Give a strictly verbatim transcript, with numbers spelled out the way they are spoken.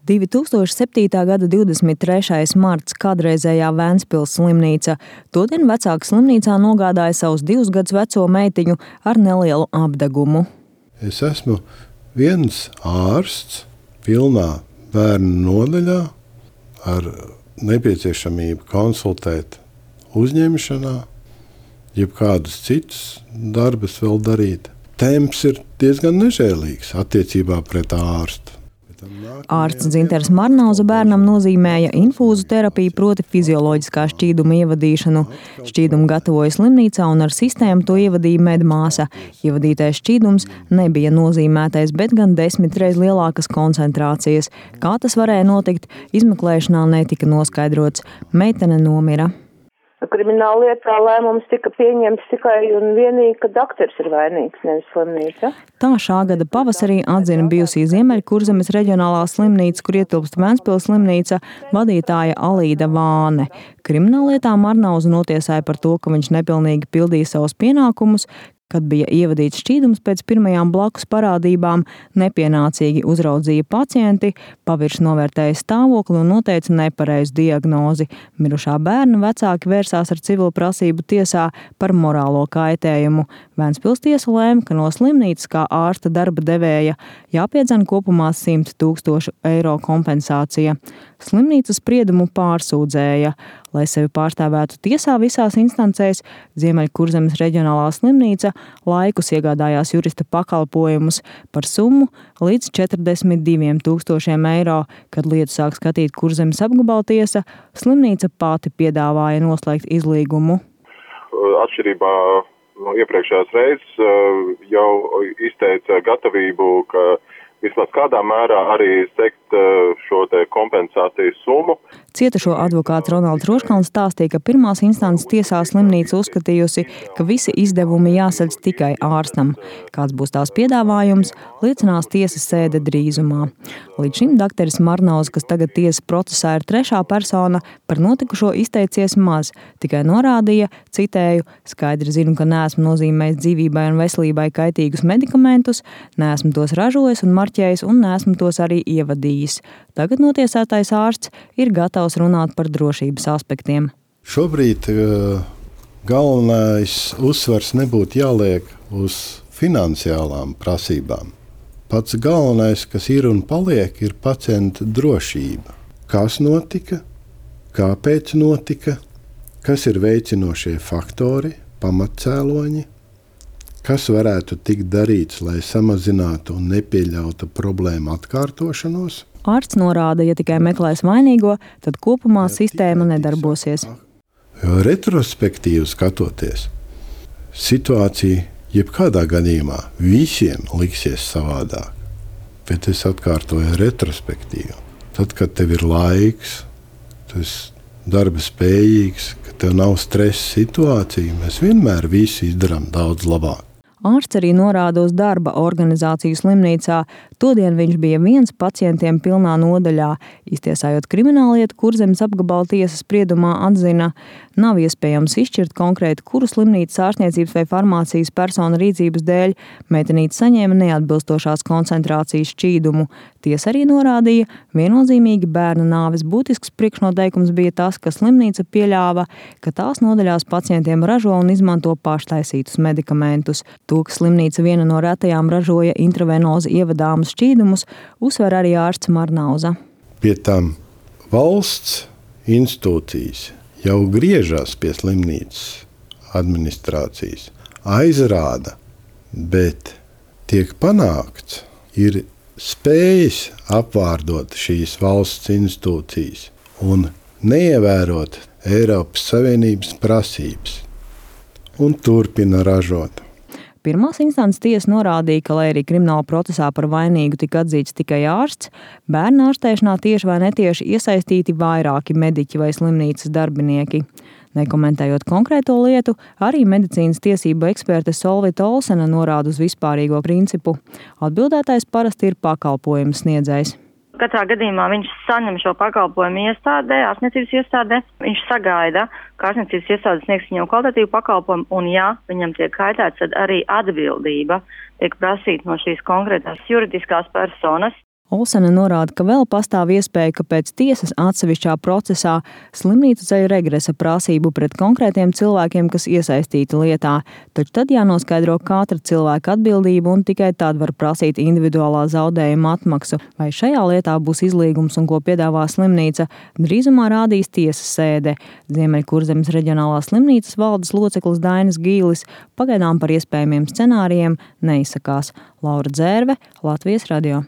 divi tūkstoši septītā gada divdesmit trešais marts kādreizējā Ventspils slimnīca. Todien vecāka slimnīcā nogādāja savus divus gadus veco meitiņu ar nelielu apdegumu. Es esmu viens ārsts pilnā bērnu nodaļā ar nepieciešamību konsultēt uzņemšanā, jeb kādus citus darbus vēl darīt. Temps ir diezgan nežēlīgs attiecībā pret ārstu. Ārsts Dzinters Marnauza bērnam nozīmēja infūzu terapiju, proti fizioloģiskā šķīduma ievadīšanu. Šķīdumu gatavoja slimnīcā un ar sistēmu to ievadīja medmāsa. Ievadītais šķīdums nebija nozīmētais, bet gan desmit reiz lielākas koncentrācijas. Kā tas varēja notikt, izmeklēšanā netika noskaidrots. Meitene nomira. Krimināla lietā lēmums tika pieņemts tikai un vienīgi, ka doktors ir vainīgs, nevis slimnīca. Tā šā gada pavasarī atzina bijusī Ziemeļkurzemes reģionālā slimnīca, kur ietilpst Ventspils slimnīca, vadītāja Alīda Vāne. Krimināllietā Marnauzu notiesāja par to, ka viņš nepilnīgi pildīja savus pienākumus, kad bija ievadīts šķīdums pēc pirmajām blakus parādībām, nepienācīgi uzraudzīja pacienti, pavirši novērtēja stāvokli un noteica nepareizu diagnozi. Mirušā bērna vecāki vērsās ar civilu prasību tiesā par morālo kaitējumu. Ventspils tiesa lēma, ka no slimnīcas kā ārsta darba devēja jāpiedzen kopumā simt tūkstošu eiro kompensācija. Slimnīca spriedumu pārsūdzēja. Lai sevi pārstāvētu tiesā visās instancēs, Ziemeļkurzemes reģionālā slimnīca laikus iegādājās jurista pakalpojumus par summu līdz četrdesmit diviem tūkstošiem eiro. Kad lietu sāk skatīt Kurzemes apgabaltiesa, slimnīca pati piedāvāja noslēgt izlīgumu. Atšķirībā no iepriekšējās reizes jau izteica gatavību, ka vismaz kādā mērā arī sekt šo te kompensācijas summu. Cietušo advokāts Ronalds Roškalns stāstīja, ka pirmās instances tiesā slimnīca uzskatījusi, ka visi izdevumi jāsaļ tikai ārstam. Kāds būs tās piedāvājums, liecinās tiesas sēde drīzumā. Līdz šim dakteris Marnauza, kas tagad tiesas procesā ir trešā persona, par notikušo izteicies maz, tikai norādīja, citēju, skaidri zinu, ka neesmu nozīmējis dzīvībai un veselībai kaitīgus medikamentus, neesmu tos ražojis un marķējis un neesmu tos arī ievadījis. Tagad notiesātais ārsts ir gatavs runāt par drošības aspektiem. Šobrīd uh, galvenais uzsvars nebūtu jāliek uz finansiālām prasībām. Pats galvenais, kas ir un paliek, ir pacienta drošība. Kas notika, kāpēc notika, kas ir veicinošie faktori, pamatcēloņi, kas varētu tikt darīts, lai samazinātu un nepieļautu problēmu atkārtošanos. Ārsts norāda, ja tikai meklēs vainīgo, tad kopumā sistēma nedarbosies. Jo retrospektīvi skatoties, situācija jebkādā gadījumā visiem liksies savādāk. Bet es atkārtoju retrospektīvi. Tad, kad tev ir laiks, tu esi darba spējīgs, ka tev nav stresa situācija, mēs vienmēr visu izdarām daudz labāk. Ārsts arī norāda uz darba organizāciju slimnīcā. Todien viņš bija viens pacientiem pilnā nodaļā. Iztiesājot krimināllietu, Kurzemes apgabala tiesas spriedumā atzina, nav iespējams izšķirt konkrēti, kuru slimnīcas ārstniecības vai farmācijas persona rīcības dēļ meitenīte saņēma neatbilstošās koncentrācijas šķīdumu. Tiesa arī norādīja, viennozīmīgi bērna nāves būtisks priekšnoteikums bija tas, ka slimnīca pieļāva, ka tās nodaļās pacientiem ražo un izmanto paštaisītus medikamentus. To, ka slimnīca viena no retajām ražoja intravenozi ievadāmus šķīdumus, uzsver arī ārsts Marnauza. Pie tam valsts institūcijas jau griežās pie slimnīcas administrācijas, aizrāda, bet tiek panākts, ir spējas apvārdot šīs valsts institūcijas un neievērot Eiropas Savienības prasības un turpina ražot. Pirmās instances tiesa norādīja, ka, lai arī krimināla procesā par vainīgu tika atzīts tikai ārsts, bērna ārstēšanā tieši vai netieši iesaistīti vairāki mediķi vai slimnīcas darbinieki. Nekomentējot konkrēto lietu, arī medicīnas tiesību eksperte Solvita Olsena norāda uz vispārīgo principu. Atbildētais parasti ir pakalpojums sniedzējs. Katrā gadījumā viņš saņem šo pakalpojumu iestādē, ārstniecības iestādē. Viņš sagaida, ka ārstniecības iestāde sniegs viņam kvalitatīvu pakalpojumu, un ja viņam tiek kaitēts, tad arī atbildība tiek prasīta no šīs konkrētās juridiskās personas. Olsene norāda, ka vēl pastāv iespēja, ka pēc tiesas atsevišķā procesā slimnīca ceļ regresa prasību pret konkrētiem cilvēkiem, kas iesaistīti lietā, taču tad jānoskaidro katra cilvēka atbildība un tikai tad var prasīt individuālā zaudējuma atmaksu. Vai šajā lietā būs izlīgums un ko piedāvā slimnīca, drīzumā rādīs tiesas sēde. Ziemeļkurzemes reģionālās slimnīcas valdes loceklis Dainis Gīlis pagaidām par iespējamiem scenārijiem neizsakās. Laura Dzērve, Latvijas radio.